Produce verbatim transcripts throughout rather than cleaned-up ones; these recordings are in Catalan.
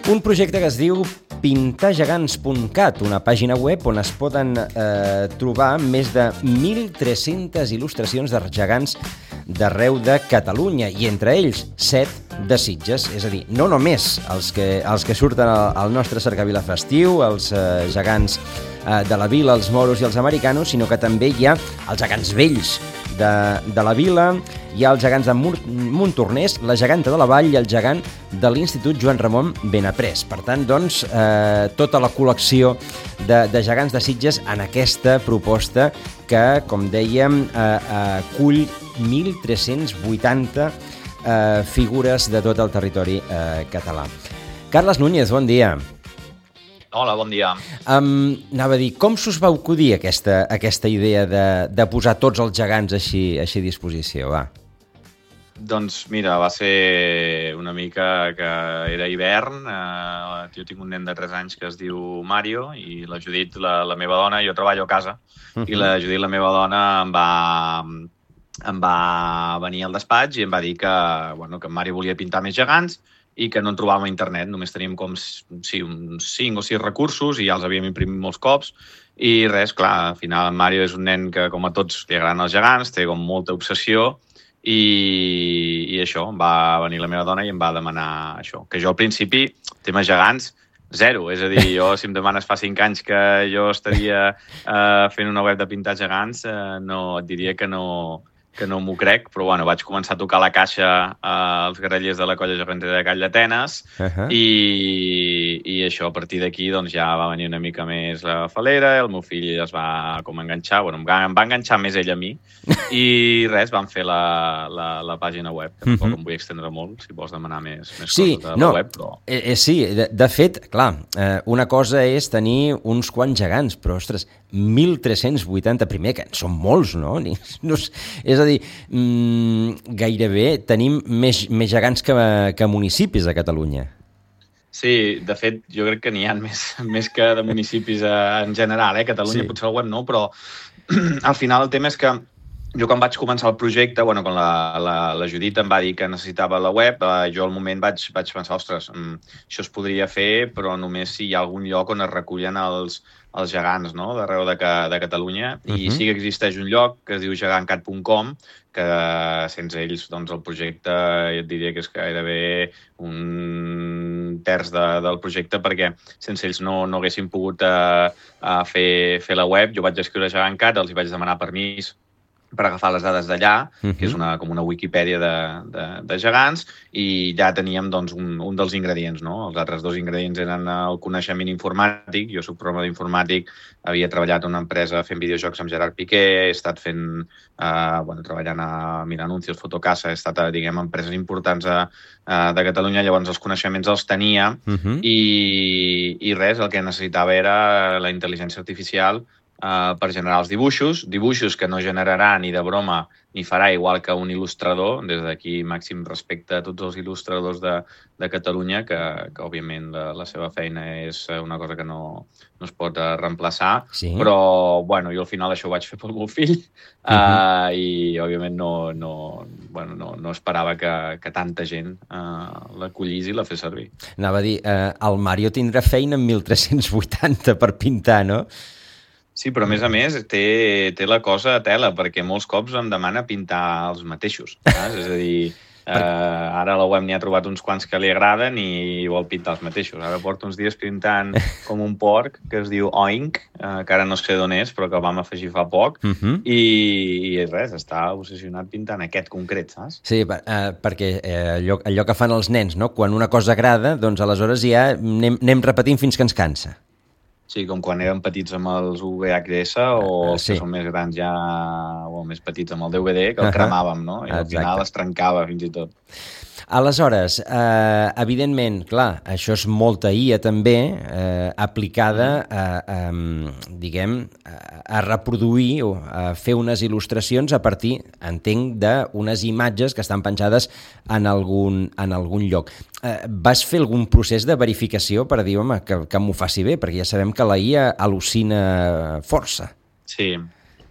Un projecte que es diu pintar gegants punt cat, una pàgina web on es poden eh, trobar més de mil tres-centes il·lustracions de gegants d'arreu de Catalunya, i entre ells set de Sitges, és a dir, no només els que, els que surten al, al nostre cercavila festiu, els eh, gegants eh, de la vila, els moros i els americanos, sinó que també hi ha els gegants vells de, de la vila, hi ha els gegants de Montornès, la geganta de la Vall i el gegant de l'Institut Joan Ramon Benaprés. Per tant, doncs, eh, tota la col·lecció de, de gegants de Sitges en aquesta proposta que, com dèiem, eh, acull mil tres-cents vuitanta eh, figures de tot el territori eh, català. Carles Núñez, bon dia. Hola, bon dia. Um, anava a dir, com s'us va acudir aquesta, aquesta idea de, de posar tots els gegants així, així a disposició? Va. Doncs mira, va ser una mica que era hivern, eh, jo tinc un nen de tres anys que es diu Mario, i la Judit, la, la meva dona, jo treballo a casa, uh-huh. i la Judit, la meva dona, em va, em va venir al despatx i em va dir que, bueno, que en Mario volia pintar més gegants i que no en trobàvem a internet, només teníem com sí, uns cinc o sis recursos i ja els havíem imprimit molts cops, i res, clar, al final en Mario és un nen que, com a tots, li agraden els gegants, té com molta obsessió, i, i això, va venir la meva dona i em va demanar això, que jo al principi, temes gegants, zero, és a dir, jo si em demanes fa cinc anys que jo estaria eh, fent una web de pintar gegants, eh, no, et diria que no, que no m'ho crec, però bueno, vaig començar a tocar la caixa als guerrillers de la colla gegantera de Call d'Atenes, uh-huh. i, i això, a partir d'aquí doncs, ja va venir una mica més la falera, el meu fill es va com enganxar, bueno, em va, em va enganxar més ell a mi, i res, vam fer la, la, la pàgina web, que tampoc uh-huh. em vull extendre molt, si vols demanar més, més sí, coses de no, la web, però... Eh, eh, sí, de, de fet, clar, eh, una cosa és tenir uns quants gegants, però, ostres, mil tres-cents vuitanta, primer, que són molts, no? no és a dir, mmm, gairebé tenim més, més gegants que, que municipis a Catalunya. Sí, de fet, jo crec que n'hi ha més, més que de municipis en general, eh? Catalunya sí. Potser el web no, però al final el tema és que jo quan vaig començar el projecte, bueno, quan la, la, la Judit em va dir que necessitava la web, eh, jo al moment vaig, vaig pensar, ostres, mm, això es podria fer, però només si hi ha algun lloc on es recullen els, els gegants, no?, d'arreu de, de Catalunya. Uh-huh. I sí que existeix un lloc que es diu gegant cat punt com, que sense ells doncs, el projecte et diria que és gairebé un terç de, del projecte, perquè sense ells no, no haguéssim pogut eh, fer, fer la web. Jo vaig escriure gegant cat, els hi vaig demanar permís per agafar les dades d'allà, uh-huh. que és una, com una Wikipedia de, de, de gegants, i ja teníem doncs, un, un dels ingredients, no? Els altres dos ingredients eren el coneixement informàtic. Jo soc programa d'informàtic, havia treballat en una empresa fent videojocs amb Gerard Piqué, he estat fent, eh, bueno, treballant a Mira Anuncios, Fotocasa, he estat a, diguem, empreses importants a, a, de Catalunya, llavors els coneixements els tenia, uh-huh. i, i res, el que necessitava era la intel·ligència artificial Uh, per generar els dibuixos, dibuixos que no generarà ni de broma ni farà igual que un il·lustrador. Des d'aquí màxim respecte a tots els il·lustradors de, de Catalunya, que, que òbviament la, la seva feina és una cosa que no, no es pot uh, reemplaçar, sí. Però bueno, jo al final això ho vaig fer pel meu fill, uh-huh. uh, i òbviament no, no, bueno, no, no esperava que, que tanta gent uh, l'acollís i la fes servir. Anava a dir, uh, el Mario tindrà feina amb mil tres-cents vuitanta per pintar, no? Sí, però a més a més té, té la cosa a tela, perquè molts cops em demana pintar els mateixos. Saps? És a dir, eh, ara la web n'hi ha trobat uns quants que li agraden i vol pintar els mateixos. Ara porto uns dies pintant com un porc que es diu Oink, eh, que ara no sé d'on és, però que el vam afegir fa poc, uh-huh. i, i res, està obsessionat pintant aquest concret, saps? Sí, eh, perquè eh, allò, allò que fan els nens, no? Quan una cosa agrada, doncs aleshores ja anem, anem repetint fins que ens cansa. Sí, com quan érem petits amb els U V H S o els sí. que són més grans ja, o més petits amb el D V D, que el uh-huh. cremàvem, no? I al final es trencava fins i tot. Aleshores, eh, evidentment, clar, això és molta I A també, eh, aplicada a, a, diguem, a reproduir o a fer unes il·lustracions a partir, entenc, d'unes imatges que estan penjades en algun, en algun lloc. Eh, vas fer algun procés de verificació per dir, home, que, que m'ho faci bé, perquè ja sabem que la I A al·lucina força. Sí,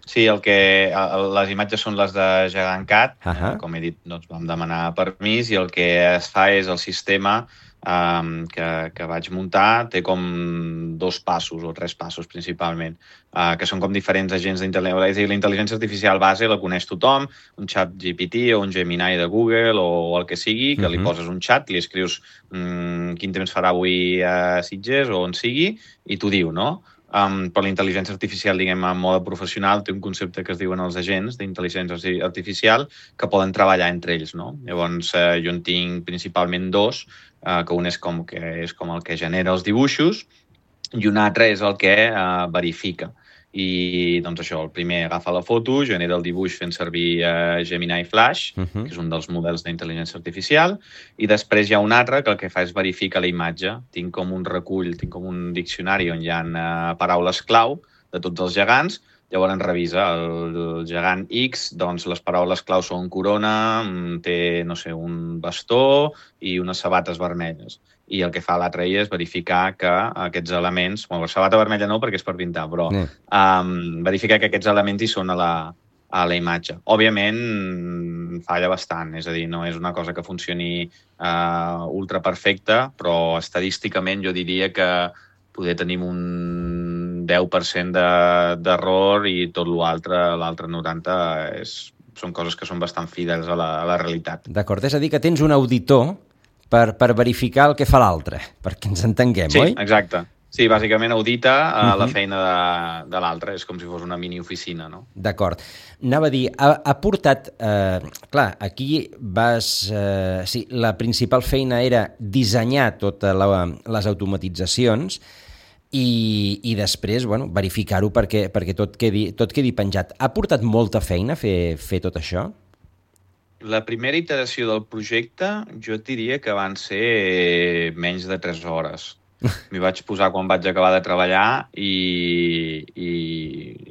Sí, el que, les imatges són les de GegantCAD, uh -huh. com he dit, doncs vam demanar permís i el que es fa és el sistema um, que, que vaig muntar, té com dos passos o tres passos principalment, uh, que són com diferents agents d'intel·ligència, és a dir, la intel·ligència artificial base la coneix tothom, un xat G P T o un Gemini de Google o el que sigui, que uh -huh. li poses un xat, li escrius um, quin temps farà avui a Sitges o on sigui, i t'ho diu, no? Um, però la intel·ligència artificial, diguem, en mode professional, té un concepte que es diuen els agents d'intel·ligència artificial que poden treballar entre ells, no? Llavors, eh, jo en tinc principalment dos, eh, que un és com, que és com el que genera els dibuixos i un altre és el que eh, verifica. I, doncs això, el primer agafa la foto, genera el dibuix fent servir eh, Gemini Flash, uh-huh. que és un dels models d'intel·ligència artificial, i després hi ha un altre que el que fa és verificar la imatge. Tinc com un recull, tinc com un diccionari on hi ha eh, paraules clau de tots els gegants, llavors revisa el, el gegant X, doncs les paraules clau són corona, té, no sé, un bastó i unes sabates vermelles. I el que fa l'altre és verificar que aquests elements, bueno, la sabata vermella no perquè és per pintar, però mm. um, verificar que aquests elements hi són a la, a la imatge. Òbviament falla bastant, és a dir, no és una cosa que funcioni uh, ultra perfecta, però estadísticament jo diria que poder tenim un deu per cent d'error de, i tot l'altre, l'altre noranta per cent és, són coses que són bastant fidels a la, a la realitat. D'acord, és a dir, que tens un auditor Per, per verificar el que fa l'altre, perquè ens entenguem, sí, oi? Sí, exacte. Sí, bàsicament audita uh, uh-huh. la feina de, de l'altre, és com si fos una mini-oficina, no? D'acord. Anava a dir, ha, ha portat... Eh, clar, aquí vas... Eh, sí, la principal feina era dissenyar totes les automatitzacions i, i després, bueno, verificar-ho perquè, perquè tot, quedi, tot quedi penjat. Ha portat molta feina fer, fer tot això? La primera iteració del projecte jo et diria que van ser menys de tres hores. M'hi vaig posar quan vaig acabar de treballar i, i,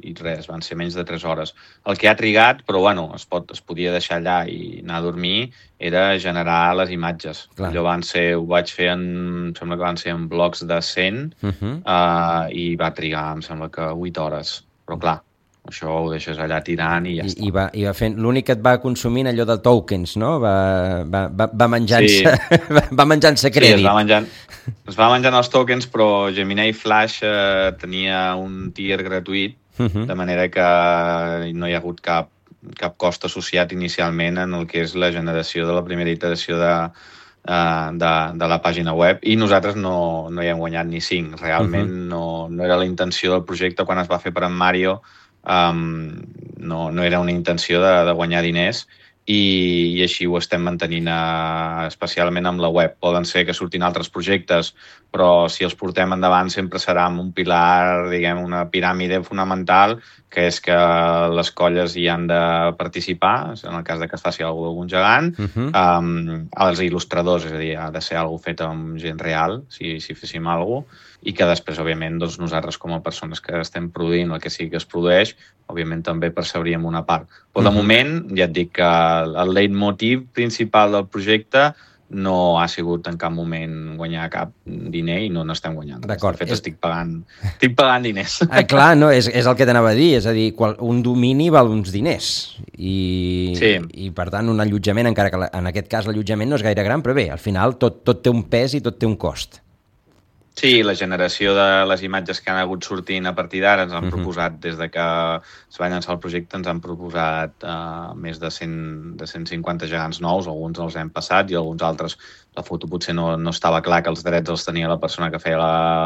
i res, van ser menys de tres hores. El que ha trigat, però bueno, es, pot, es podia deixar allà i anar a dormir, era generar les imatges. Clar. Allò van ser, ho vaig fer en, em sembla que van ser en blocs de cent uh-huh. uh, i va trigar, em sembla que vuit hores. Però clar, això ho deixes allà tirant i ja I, està. I va, i va fent, l'únic que et va consumint allò de tokens, no? Va, va, va menjant-se sí. va menjant-se crèdit. Sí, es va menjant, es va menjant els tokens, però Gemini Flash eh, tenia un tier gratuït, uh-huh. de manera que no hi ha hagut cap, cap cost associat inicialment en el que és la generació de la primera iteració de, uh, de, de la pàgina web, i nosaltres no, no hi hem guanyat ni cinc. Realment uh-huh. no, no era la intenció del projecte quan es va fer per en Mario. Um, no, no era una intenció de, de guanyar diners i, i així ho estem mantenint uh, especialment amb la web. Poden ser que surtin altres projectes, però si els portem endavant sempre serà amb un pilar, diguem, una piràmide fonamental, que és que les colles hi han de participar, en el cas de que es faci alguna cosa d'algun gegant, uh-huh. um, els il·lustradors, és a dir, ha de ser alguna cosa fet amb gent real, si, si féssim alguna cosa, i que després, òbviament, doncs, nosaltres com a persones que estem produint el que sigui que es produeix, òbviament també percebríem una part. Però de uh-huh. moment, ja et dic que el leitmotiv principal del projecte no ha sigut en cap moment guanyar cap diner i no n'estem guanyant. D'acord. De fet, és... estic pagant, estic pagant diners. Ah, clar, no, és, és el que t'anava a dir, és a dir, qual, un domini val uns diners i, sí. i per tant un allotjament, encara que la, en aquest cas l'allotjament no és gaire gran, però bé, al final tot, tot té un pes i tot té un cost. Sí, la generació de les imatges que han hagut sortint a partir d'ara ens han uh-huh. proposat, des de que es va llançar el projecte, ens han proposat uh, més de cent, de cent cinquanta gegants nous, alguns els hem passat i alguns altres la foto potser no, no estava clar que els drets els tenia la persona que feia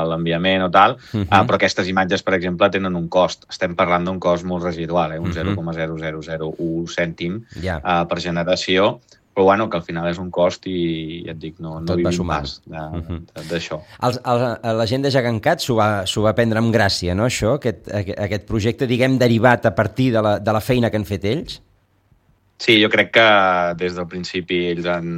l'enviament o tal, uh-huh. uh, però aquestes imatges, per exemple, tenen un cost. Estem parlant d'un cost molt residual, eh? un uh-huh. zero coma zero zero zero u cèntim yeah. uh, per generació, però bueno, que al final és un cost i ja et dic, no, no vivim pas d'això. Uh-huh. La gent de GegantCAD s'ho va, va prendre amb gràcia, no, això? Aquest, aquest projecte, diguem, derivat a partir de la, de la feina que han fet ells? Sí, jo crec que des del principi ells han,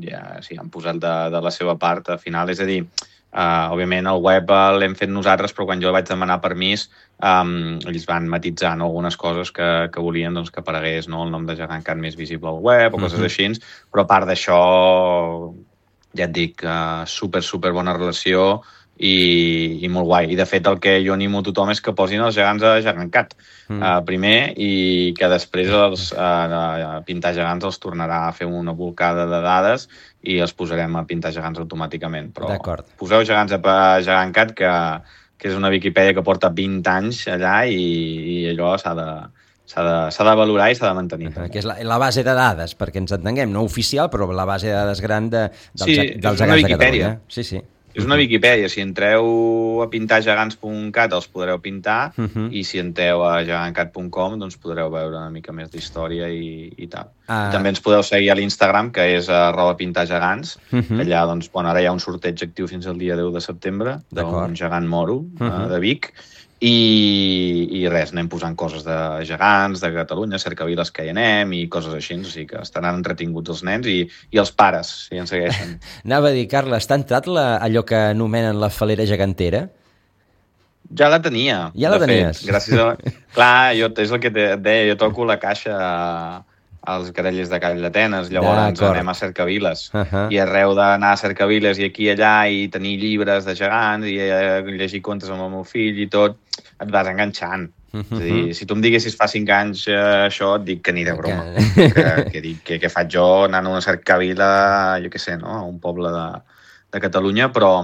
ja, sí, han posat de, de la seva part al final. És a dir, uh, òbviament el web l'hem fet nosaltres, però quan jo vaig demanar permís, Um, ells van matitzar, no, algunes coses que, que volien doncs, que aparegués, no, el nom de GegantCAD més visible al web o coses uh-huh. així, però a part d'això ja et dic, uh, super, super bona relació i, i molt guai. I, de fet, el que jo animo a tothom és que posin els gegants a GegantCat mm. uh, primer i que després els, uh, a pintar gegants els tornarà a fer una bolcada de dades i els posarem a pintar gegants automàticament. Però poseu gegants a GegantCat, que, que és una Viquipèdia que porta vint anys allà i, i allò s'ha de... S'ha de, s'ha de valorar i s'ha de mantenir. Uh-huh, que és la, la base de dades, perquè ens entenguem, no oficial, però la base de dades gran de, dels, sí, dels gegants de Catalunya. Sí, sí. És una Viquipèdia. Si entreu a pintar gegants punt cat els podreu pintar uh-huh. i si entreu a gegantcat punt com doncs podreu veure una mica més d'història i, i tal. Uh... També ens podeu seguir a l'Instagram, que és arroba pintargegants. Uh-huh. Allà, doncs, bueno, ara hi ha un sorteig actiu fins al dia deu de setembre d'un gegant moro uh-huh. uh, de Vic. I, i res, anem posant coses de gegants, de Catalunya, cercaviles que hi anem i coses així, o sigui que estaran entretinguts els nens i, i els pares, si ens segueixen. Anava a dir, Carles, t'ha entrat la, allò que anomenen la falera gegantera? Ja la tenia. Ja la tenies? Fet, gràcies a... Clar, jo, és el que et deia, jo toco la caixa als Grallers de Call d'Atenes, llavors anem a cercaviles. Uh-huh. I arreu d'anar a cercaviles i aquí i allà i tenir llibres de gegants i llegir contes amb el meu fill i tot, et vas enganxant. Uh-huh. És a dir, si tu em diguessis fa cinc anys eh, això, et dic que ni de broma. Okay. Que, que, dic, que, que faig jo anant a una cercavila, jo què sé, no? A un poble de, de Catalunya, però,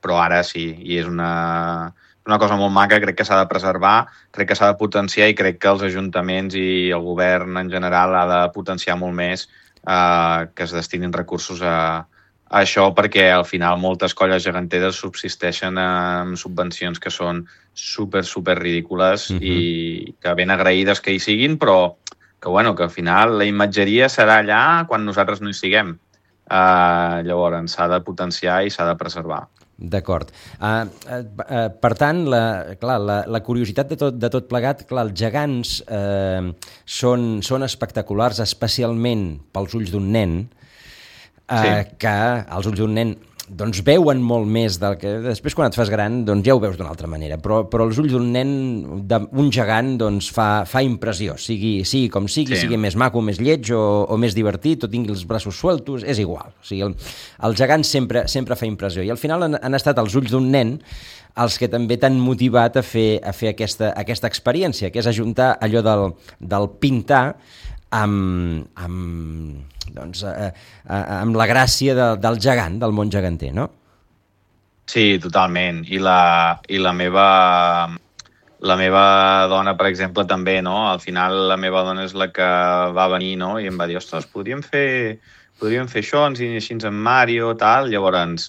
però ara sí, i és una... una cosa molt maca, crec que s'ha de preservar, crec que s'ha de potenciar i crec que els ajuntaments i el govern en general ha de potenciar molt més eh, que es destinin recursos a, a això, perquè al final moltes colles geganteres subsisteixen amb subvencions que són super, super ridícules uh-huh. i que ben agraïdes que hi siguin, però que, bueno, que al final la imatgeria serà allà quan nosaltres no hi siguem. Uh, llavors s'ha de potenciar i s'ha de preservar. D'acord. Uh, uh, uh, per tant, la, clar, la, la curiositat de tot, de tot plegat, clar, els gegants uh, són, són espectaculars, especialment pels ulls d'un nen, uh, sí. que els ulls d'un nen doncs veuen molt més del que... Després, quan et fas gran, doncs ja ho veus d'una altra manera, però, però els ulls d'un nen, d'un gegant, doncs fa, fa impressió, sigui, sigui com sigui, sí. sigui més maco, més lleig o, o més divertit, o tingui els braços sueltos, és igual. O sigui, el, el gegant sempre, sempre fa impressió. I al final han, han estat els ulls d'un nen els que també t'han motivat a fer, a fer aquesta, aquesta experiència, que és ajuntar allò del, del pintar amb, amb, doncs, eh, eh, amb la gràcia de, del gegant, del món geganter, no? Sí, totalment. I la, i la meva... La meva dona, per exemple, també, no? Al final la meva dona és la que va venir, no? I em va dir, ostres, podríem fer, podríem fer això, ens així en Mario, tal. Llavors,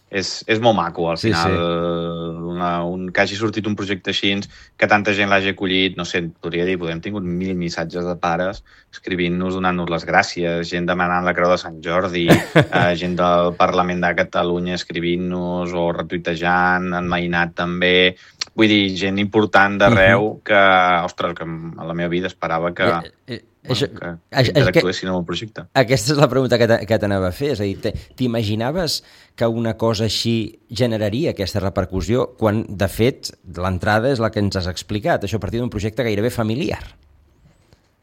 és, és molt maco, al sí, final, sí. Una, un, que hagi sortit un projecte així, que tanta gent l'hagi acollit, no sé, podria dir, hem tingut mil missatges de pares escrivint-nos, donant-nos les gràcies, gent demanant la Creu de Sant Jordi, eh, gent del Parlament de Catalunya escrivint-nos o retuitejant, en Mainat també... Vull dir, gent important d'arreu uh-huh. que, ostres, que a la meva vida esperava que, eh, eh, bueno, això, que, que interactuessin amb el projecte. Aquesta és la pregunta que t'anava a fer. És a dir, t'imaginaves que una cosa així generaria aquesta repercussió quan, de fet, l'entrada és la que ens has explicat, això a partir d'un projecte gairebé familiar?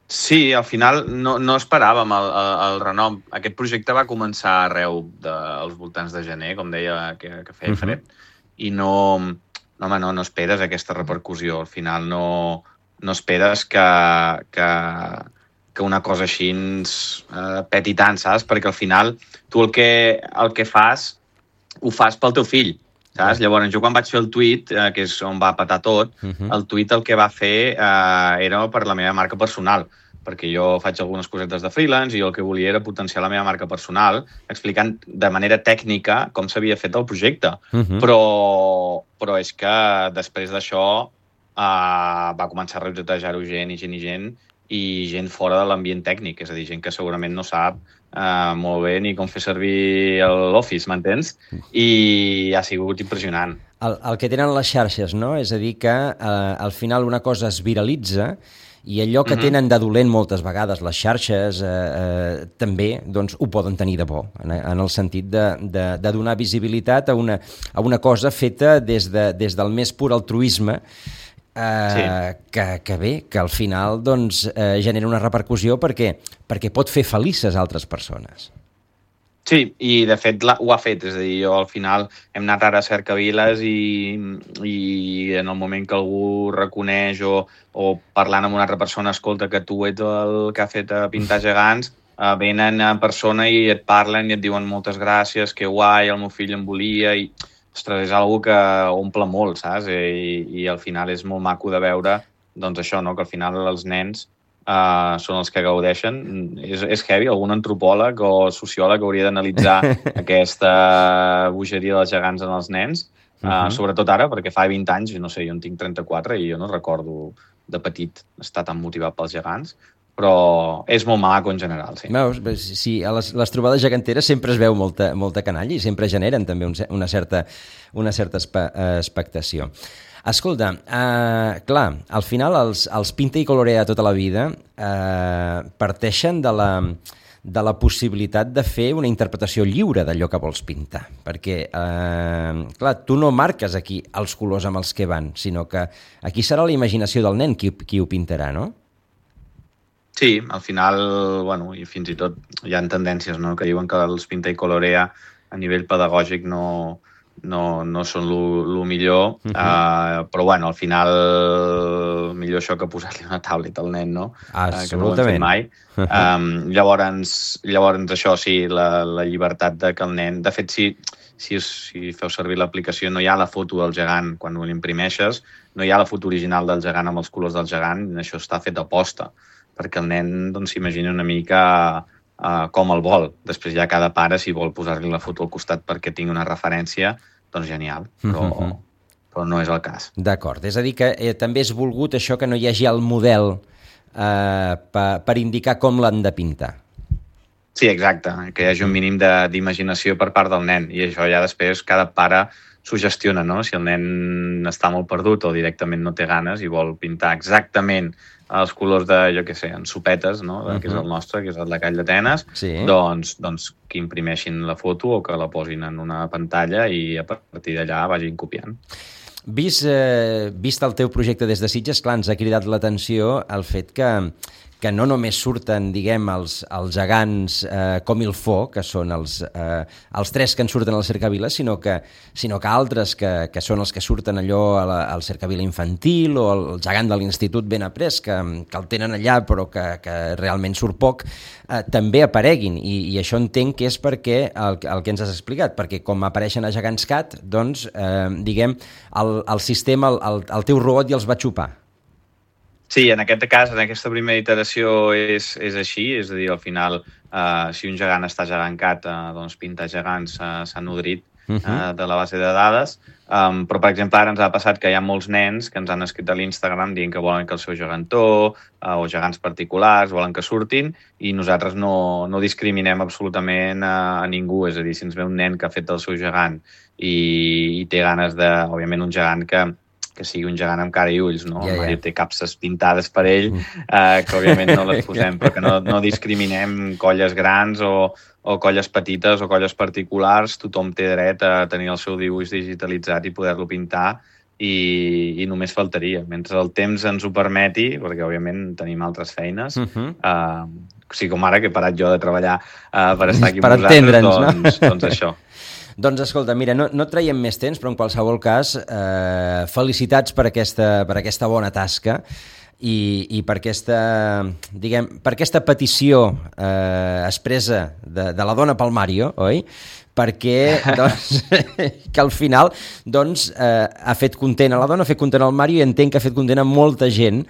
Sí, al final no, no esperàvem el, el, el renom. Aquest projecte va començar arreu dels voltants de gener, com deia, que, que feia fred, uh-huh. i no... No, home, no, no esperes aquesta repercussió. Al final no, no esperes que, que, que una cosa així ens eh, peti tant, saps? Perquè al final tu el que, el que fas, ho fas pel teu fill, saps? Llavors, jo quan vaig fer el tuit, eh, que és on va petar tot, uh-huh. el tuit el que va fer eh, era per la meva marca personal, perquè jo faig algunes cosetes de freelance i jo el que volia era potenciar la meva marca personal explicant de manera tècnica com s'havia fet el projecte. Uh-huh. Però, però és que després d'això uh, va començar a retuitejar-ho gent i gent i gent i gent fora de l'ambient tècnic, és a dir, gent que segurament no sap uh, molt bé ni com fer servir l'Office, m'entens? I ha sigut impressionant. El, el que tenen les xarxes, no? És a dir, que uh, al final una cosa es viralitza i allò que tenen de dolent moltes vegades les xarxes eh, eh, també doncs, ho poden tenir de bo, en, en el sentit de, de, de donar visibilitat a una, a una cosa feta des, de, des del més pur altruisme eh, sí. que, que bé, que al final doncs, eh, genera una repercussió perquè, perquè pot fer felices altres persones. Sí, i de fet la, ho ha fet, és a dir, jo al final hem anat ara a cercaviles i, i en el moment que algú reconeix o, o parlant amb una altra persona, escolta que tu ets el que ha fet a pintar gegants, eh, venen en persona i et parlen i et diuen moltes gràcies, que guai, el meu fill em volia, i ostres, és algo que omple molt, saps? I, i al final és molt maco de veure, doncs això, no? Que al final els nens Uh, són els que gaudeixen. És, és heavy, algun antropòleg o sociòleg hauria d'analitzar aquesta bogeria dels gegants en els nens, uh, uh-huh. sobretot ara, perquè fa vint anys, no sé, jo en tinc trenta-quatre i jo no recordo de petit estar tan motivat pels gegants, però és molt maco en general, sí. Veus, sí, a les, les trobades geganteres sempre es veu molta, molta canalla i sempre generen també un, una certa, una certa espe, expectació. Escolta, uh, clar, al final els, els Pinta i Colorea tota la vida uh, parteixen de la, de la possibilitat de fer una interpretació lliure d'allò que vols pintar, perquè, uh, clar, tu no marques aquí els colors amb els que van, sinó que aquí serà la imaginació del nen qui, qui ho pintarà, no? Sí, al final, bueno, i fins i tot hi ha tendències, no?, que diuen que els Pinta i Colorea a nivell pedagògic no... no, no són el millor, uh-huh. uh, però bueno, al final millor això que posar-li una tablet al nen, no? Absolutament. Uh, que no ho hem fet mai. Uh-huh. Um, llavors, llavors, això sí, la, la llibertat de que el nen... De fet, si, si, si feu servir l'aplicació, no hi ha la foto del gegant quan ho l'imprimeixes, no hi ha la foto original del gegant amb els colors del gegant, això està fet a posta, perquè el nen doncs, s'imagina una mica... Uh, com el vol. Després ja cada pare, si vol posar-li la foto al costat perquè tingui una referència, doncs genial, però, uh-huh. però no és el cas. D'acord, és a dir que eh, també és volgut això que no hi hagi el model eh, per, per indicar com l'han de pintar. Sí, exacte, que hi hagi un mínim d'imaginació per part del nen, i això ja després cada pare s'ho gestiona, no? Si el nen està molt perdut o directament no té ganes i vol pintar exactament els colors de, jo què sé, en sopetes, no? Uh-huh. Que és el nostre, que és el de Call d'Atenes, sí. doncs, doncs que imprimeixin la foto o que la posin en una pantalla i a partir d'allà vagin copiant. Vist, eh, vist el teu projecte des de Sitges, clar, ens ha cridat l'atenció el fet que, que no només surten, diguem, els, els gegants eh, com il fo, que són els, eh, els tres que en surten al Cercavila, sinó que, sinó que altres que, que són els que surten allò a la, al Cercavila infantil o el, el gegant de l'Institut ben après, que, que el tenen allà però que, que realment surt poc, eh, també apareguin. I, I això entenc que és perquè el, el que ens has explicat, perquè com apareixen a Gegants Cat, doncs, eh, diguem, el, el sistema, el, el, el teu robot ja els va xupar. Sí, en aquest cas, en aquesta primera iteració és, és així, és a dir, al final, eh, si un gegant està gegancat, eh, doncs pintar gegants eh, s'ha nodrit eh, uh-huh. de la base de dades, um, però, per exemple, ara ens ha passat que hi ha molts nens que ens han escrit a l'Instagram dient que volen que el seu gegantó eh, o gegants particulars volen que surtin i nosaltres no, no discriminem absolutament a, a ningú, és a dir, si ens ve un nen que ha fet el seu gegant i, i té ganes de, òbviament, un gegant que que sigui un gegant amb cara i ulls, no? Yeah, yeah. El Mario té capses pintades per ell, eh, que òbviament no les posem, però que no, no discriminem colles grans o, o colles petites o colles particulars. Tothom té dret a tenir el seu dibuix digitalitzat i poder-lo pintar i, i només faltaria. Mentre el temps ens ho permeti, perquè òbviament tenim altres feines, uh-huh. eh, o sigui, com ara que he parat jo de treballar eh, per estar aquí amb vosaltres, doncs, no? doncs això. Doncs escolta, mira, no, no traiem més temps, però en qualsevol cas, eh, felicitats per aquesta, per aquesta bona tasca i, i per aquesta, diguem, per aquesta petició eh, expressa de, de la dona pel Mario, oi? Perquè doncs, que al final doncs, eh, ha fet content a la dona, ha fet content al Mario i entenc que ha fet content a molta gent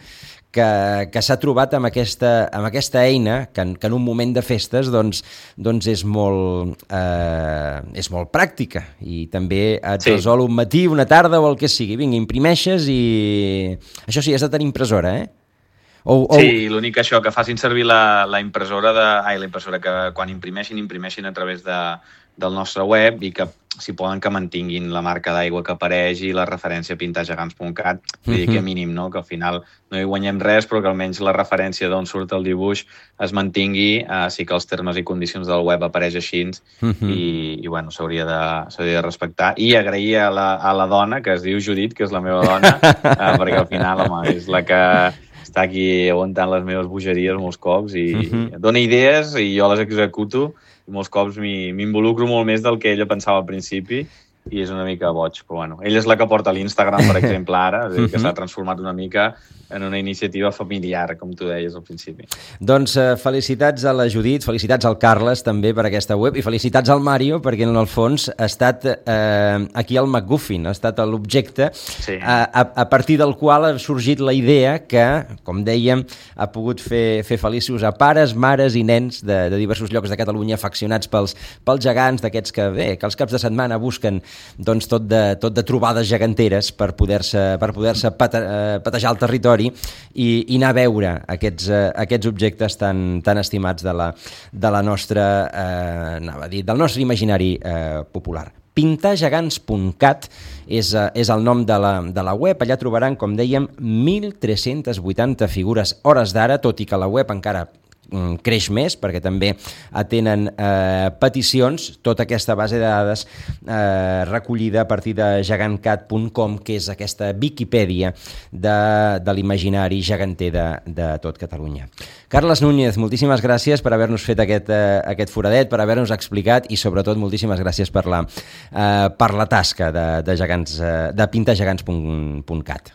que, que s'ha trobat amb aquesta, amb aquesta eina que en, que en un moment de festes doncs, doncs és, molt, eh, és molt pràctica i també et sí. resol un matí, una tarda o el que sigui. Vinga, imprimeixes i... Això sí, has de tenir impressora, eh? O, o... Sí, l'únic això, que facin servir la, la impressora de... Ai, la impressora, que quan imprimeixin, imprimeixin a través de, del nostre web i que, si poden, que mantinguin la marca d'aigua que apareix i la referència a pintar gegants punt cat. Vull dir que mínim, no? Que al final no hi guanyem res, però que almenys la referència d'on surt el dibuix es mantingui, eh, sí que els termes i condicions del web apareix així uh-huh. i, i bueno, s'hauria de, s'hauria de respectar. I agrair a la, a la dona, que es diu Judit, que és la meva dona, eh, perquè al final, home, és la que està aquí aguantant les meves bogeries molts cops i uh-huh. dona idees i jo les executo molts cops m'involucro molt més del que ella pensava al principi i és una mica boig, però bueno. Ella és la que porta l'Instagram, per exemple, ara, és a dir, que s'ha transformat una mica en una iniciativa familiar, com tu deies al principi. Doncs eh, felicitats a la Judit, felicitats al Carles també per aquesta web i felicitats al Mario perquè en el fons ha estat eh, aquí el MacGuffin, ha estat l'objecte sí. a, a, a partir del qual ha sorgit la idea que, com dèiem, ha pogut fer, fer feliços a pares, mares i nens de, de diversos llocs de Catalunya afeccionats pels, pels gegants, d'aquests que bé, que els caps de setmana busquen doncs, tot, de, tot de trobades geganteres per poder-se per poder-se pate, eh, patejar el territori i, i anar a veure aquests, eh, aquests objectes tan, tan estimats de la, de la nostra, eh, anava a dir, del nostre imaginari eh, popular. pintar gegants punt cat és, eh, és el nom de la, de la web. Allà trobaran, com dèiem, mil tres-centes vuitanta figures hores d'ara, tot i que la web encara creix més, perquè també atenen eh, peticions, tota aquesta base de dades eh, recollida a partir de gegant cat punt com, que és aquesta Viquipèdia de, de l'imaginari geganter de, de tot Catalunya. Carles Núñez, moltíssimes gràcies per haver-nos fet aquest, eh, aquest foradet, per haver-nos explicat i sobretot moltíssimes gràcies per la, eh, per la tasca de, de, gegants, eh, de pintar gegants punt cat.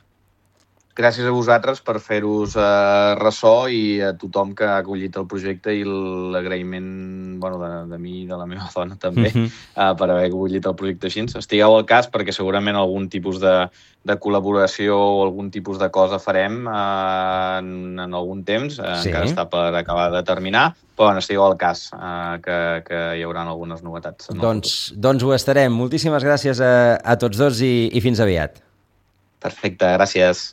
Gràcies a vosaltres per fer-vos eh, ressò i a tothom que ha acollit el projecte i l'agraïment bueno, de, de mi i de la meva dona també uh-huh. eh, per haver acollit el projecte així. Estigueu al cas perquè segurament algun tipus de, de col·laboració o algun tipus de cosa farem eh, en, en algun temps, eh, sí. encara està per acabar de terminar, però bueno, estigueu al cas eh, que, que hi haurà algunes novetats. Doncs, doncs ho estarem. Moltíssimes gràcies a, a tots dos i, i fins aviat. Perfecte, gràcies.